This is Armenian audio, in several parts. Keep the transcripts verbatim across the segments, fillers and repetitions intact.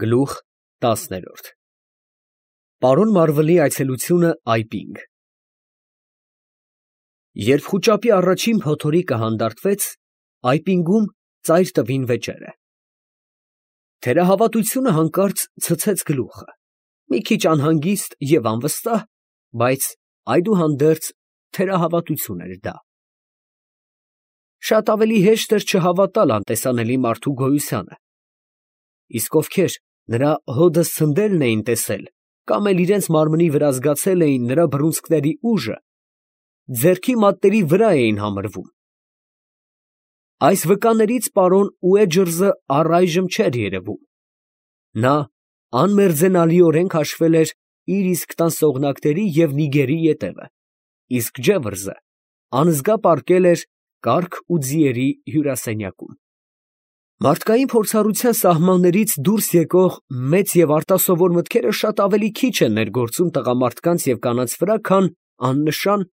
Գլուխ տասներորդ Պարոն Մարվելի այցելությունը այպինգ Երբ խուճապի առաջին փոթորիկը հանդարտվեց, այպինգում ծայր տվին վեճերը։ Թերահավատությունը հանկարծ ցցեց գլուխը, մի քիչ անհանգիստ և անվստահ, բայց այդուհանդերձ թերահավատություն էր դա։ Շատ ավելի հեշտ էր չհավատալ անտեսանելի մարդու գոյությանը, իսկ ովքեր նրա հոդը սնդելն էին տեսել կամ էլ իրենց մարմնի վրա զգացել էին նրա բռունցքների ուժը, ձեռքի մատների վրա էին համրվում։ Այս վկաներից պարոն Ուեջըրզը առայժմ չէր երևում. նա անմերձենալիորեն քաշվել էր իր իսկ տան սողնակների և նիգերի ետևը, իսկ Ջևրզը անզգա պառկել էր կառք ու ձիերի հյուրասենյակում։ Մարդկային փորձառության սահմաններից դուրս եկող մեծ և արտասովոր մտքերը շատ ավելի քիչ են ներգործում տղամարդկանց և կանանց վրա, քան աննշան,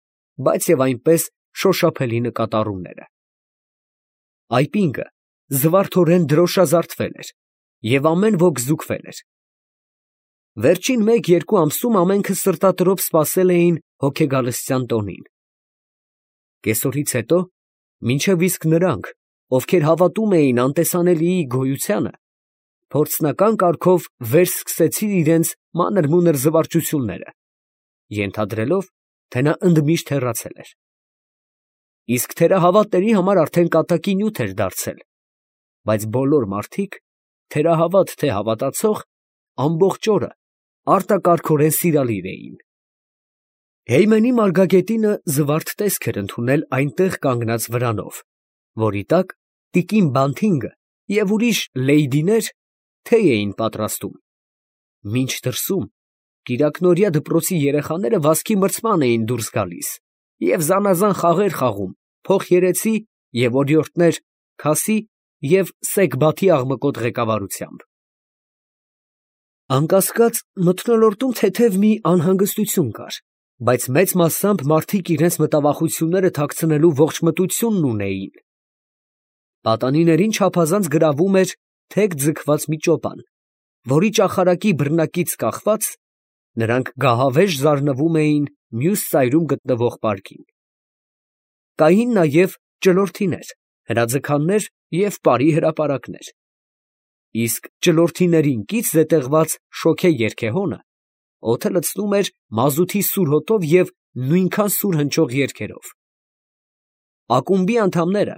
բայց և այնպես շոշափելի նկատառումները։ Այպինգը զվարթորեն դրոշազարդվել էր և ամեն ոք զուգվել էր։ Վերջին մեկ֊երկու ամսում ամենքը սրտատրոփ սպասել էին հոգեգալստյան տոնին։ Կեսօրից հետո, մինչև իսկ նրանք, ովքեր հավատում էին անտեսանելիի գոյությանը, փորձնական կարգով վերսկսեցին իրենց մանր֊մունր զվարճությունները, ենթադրելով, թե նա ընդմիշտ հեռացել էր։ Իսկ թերահավատների համար արդեն կատակի նյութ էր դարձել, բայց բոլոր մարդիկ, թերահավատ թե հավատացող, ամբողջ օրը արտակարգորեն սիրալիր էին։ Հեյմենի մարգագետինը զվարթ տեսք էր ընդունել այնտեղ կանգնած վրանով, որի տակ տիկին Բանթինգը և ուրիշ լեյդիներ թեյ էին պատրաստում, մինչ դրսում կիրակնօրյա դպրոցի երեխաները վազքի մրցման էին դուրս գալիս և զանազան խաղեր խաղում փոխերեցի և օրիորդներ Քասի և Սեգբաթի աղմկոտ ղեկավարությամբ։ Անկասկած, մթնոլորտում թեթև մի անհանգստություն կար, բայց մեծ մասամբ մարդիկ իրենց մտավախությունները թաքցնելու ողջ մտությունն ունեին։ Պատանիներին չափազանց գրավում էր թեք ձգված մի ճոպան, որի ճախարակի բռնակից կախված, նրանք գահավեժ զարնվում էին մյուս ծայրում գտնվող պարկին։ Կային նաև ճլորթիներ, հրաձգաններ և պարի հրապարակներ, իսկ ճլորթիներին կից զետեղված շոգե երգեհոնը օդը լցնում էր մազութի սուր հոտով և նույնքան սուր հնչող երգերով։ Ակումբի անդամները,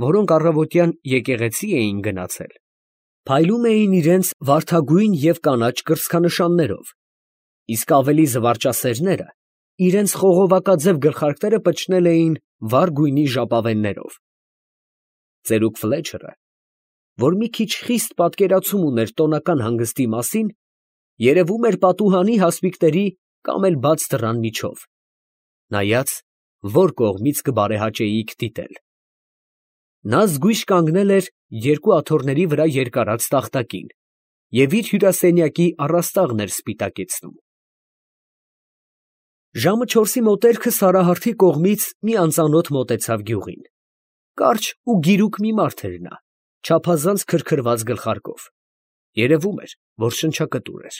որոնք առավոտյան եկեղեցի էին գնացել, փայլում էին իրենց վարդագույն և կանաչ կրծքանշաններով, իսկ ավելի զվարճասերները իրենց խողովակաձև գլխարկները պչնել էին վառ գույնի ժապավեններով։ Ծերուկ Ֆլեչերը, որ մի քիչ խիստ պատկերացում ուներ տոնական հանգստի մասին, երևում էր պատուհանի հասմիկների կամ էլ բաց դռան միջով, նայած, որ կողմից կբարեհաճեիք դիտել։ Նա զգույշ կանգնել էր երկու աթոռների վրա երկարած տախտակին և իր հյուրասենյակի առաստաղն էր սպիտակեցնում։ Ժամը չորսի մոտերքը Սարահարթի կողմից մի անծանոթ մոտեցավ գյուղին։ Կարճ ու գիրուկ մի մարդ էր նա, չափազանց քրքրված գլխարկով, երևում էր, որ շնչակտուր էր։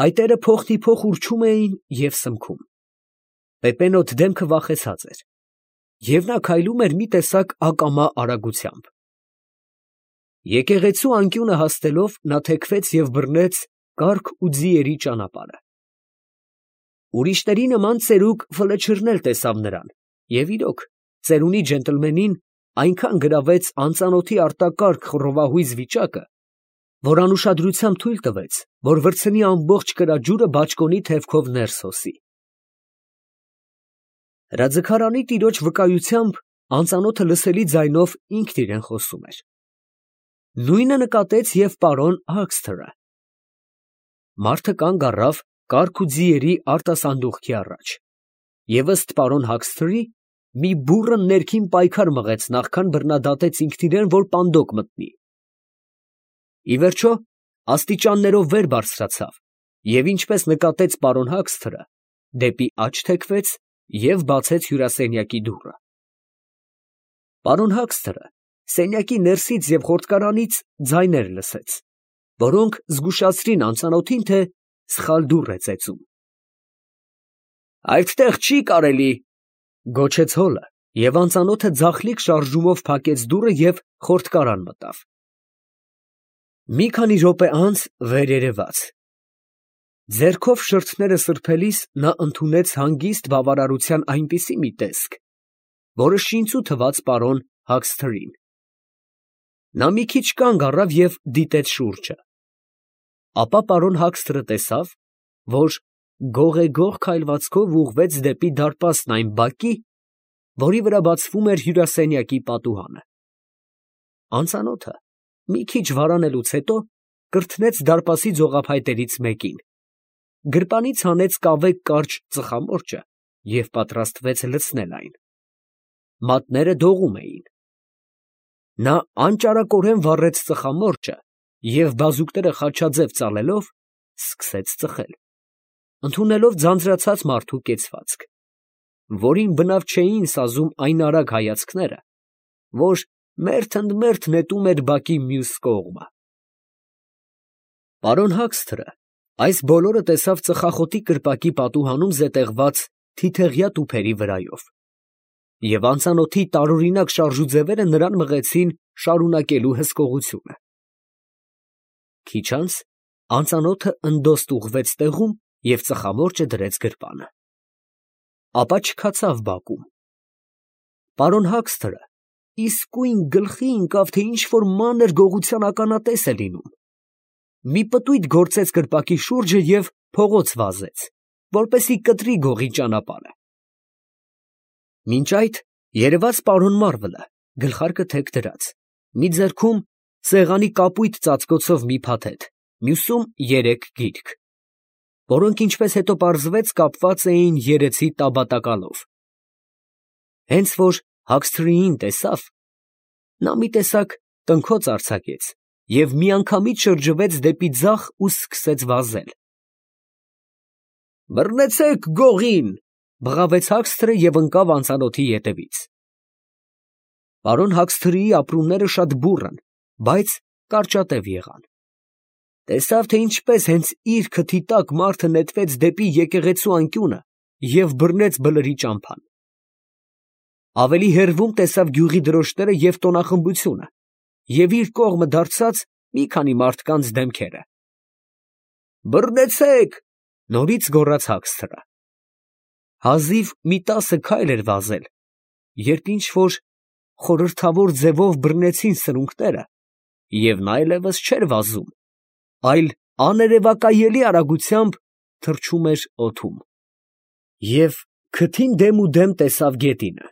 Այտերը փոխ֊դիփոխ ուռչում էին և սմքում։ Պեպենոտ դեմքը վախեցած էր, և նա քայլում էր մի տեսակ ակամա արագությամբ։ Եկեղեցու անկյունը հասնելով, նա թեքվեց և բռնեց կառք ու ձիերի ճանապարհը։ Ուրիշների նման ծերուկ Ֆլեչերն էլ տեսավ նրան և, իրոք, ծերունի ջենտլմենին այնքան գրավեց անծանոթի արտակարգ խռովահույզ վիճակը, որ անուշադրությամբ թույլ տվեց, որ վրձնի ամբողջ կրաջուրը բաճկոնի թևքով ներս հոսի։ Հրաձգարանի տիրոջ վկայությամբ անծանոթը լսելի ձայնով ինքն իրան խոսում էր։ Նույնը նկատեց և պարոն Հագսթերը։ Մարդը կանգ առավ կառք ու ձիերի արտասանդուղքի առաջ և ըստ պարոն Հագսթերի, մի բուռն ներքին պայքար մղեց, նախքան բռնադատեց ինքն իրան, որ պանդոկ մտնի։ Ի վերջո, աստիճաններով վեր բարձրացավ և, ինչպես նկատեց պարոն Հագսթերը, դեպի աջ թեքվեց և բացեց հյուրասենյակի դուռը։ Պարոն Հագսթերը սենյակի ներսից և խորտկարանից ձայներ լսեց, որոնք զգուշացրին անծանոթին, թե սխալ դուռ է ծեծում։ «Այդտեղ չի կարելի», ֊ գոչեց հոլը, և անծանոթը ձախլիկ շարժումով փակեց դուռը և խորտկարան մտավ։ Մի քանի րոպե անց վեր երևաց։ Ձեռքով շրթները սրբելիս նա ընդունեց հանգիստ բավարարության այնպիսի մի տեսք, որը շինծու թվաց պարոն Հաքսթերին։ Նա մի քիչ կանգ առավ և դիտեց շուրջը։ Ապա պարոն Հաքսթերը տեսավ, որ գողեգող քայլվածքով ուղղվեց դեպի դարպասն այն բակի, որի վրա բացվում էր հյուրասենյակի պատուհանը։ Անծանոթը մի քիչ վարանելուց հետո կրթնեց դարպասի ձողափայտերից մեկին, գրպանից հանեց կավե կարճ ծխամորճը և պատրաստվեց լցնել այն։ Մատները դողում էին։ Նա անճարակորեն վառեց ծխամորճը և բազուկները խաչաձև ծալելով սկսեց ծխել, ընդունելով ձանձրացած մարդու կեցվածք, որին բնավ չէին սազում այն արագ հայացքները, որ մերթ ընդ մերթ նետում էր բակի մյուս կողմը։ Պարոն Հաքսթերը այս բոլորը տեսավ ծխախոտի կրպակի պատուհանում զետեղված թիթեղյա տուփերի վրայով, և անծանոթի տարօրինակ շարժուձևերը նրան մղեցին շարունակելու հսկողությունը։ Քիչ անց անծանոթը ընդոստ ուղղվեց տեղում և ծխամորճը դրեց գրպանը, ապա չքացավ բակում։ Պարոն Հաքսթերը իսկույն գլխի ընկավ, թե ինչ֊որ մանր գողության ականատես է լինում։ Մի պտույտ գործեց կրպակի շուրջը և փողոց վազեց, որպեսզի կտրի գողի ճանապարհը։ Մինչ այդ երևաց պարոն Մարվելը, գլխարկը թեք դրած, մի ձեռքում սեղանի կապույտ ծածկոցով մի փաթեթ, մյուսում երեք գիրք, որոնք, ինչպես հետո պարզվեց, կապված էին երեցի տաբատակալով։ Հենց որ Հաքսթերիին տեսավ, նա մի տեսակ տնքոց արձակեց և միանգամից շրջվեց դեպի ձախ ու սկսեց վազել։ «Բռնեցե՛ք գողին», ֊ բղավեց Հաքսթերը և ընկավ անծանոթի ետևից։ Պարոն Հաքսթերիի ապրումները շատ բուռն, բայց կարճատև եղան։ Տեսավ, թե ինչպես հենց իր քթի տակ մարդը նետվեց դեպի եկեղեցու անկյունը և բռնեց բլրի ճամփան։ Ավելի հեռվում տեսավ գյուղի դրոշները և տոնախմբությունը և իր կողմը դարձած մի քանի մարդկանց դեմքերը։ «Բռնեցե՛ք», ֊ նորից գոռաց Հաքսթերը։ Հազիվ մի տասը քայլ էր վազել, երբ ինչ֊որ խորհրդավոր ձևով բռնեցին սրունքները, և նա այլևս չէր վազում, այլ աներևակայելի արագությամբ թռչում էր օդում, և քթին դեմուդեմ տեսավ գետինը։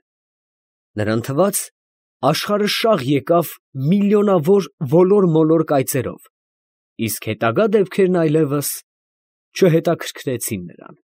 Նրան թվաց, աշխարհը շաղ եկավ միլիոնավոր ոլոր֊մոլոր կայծերով, իսկ հետագա դեպքերն այլևս չհետաքրքրեցին նրան։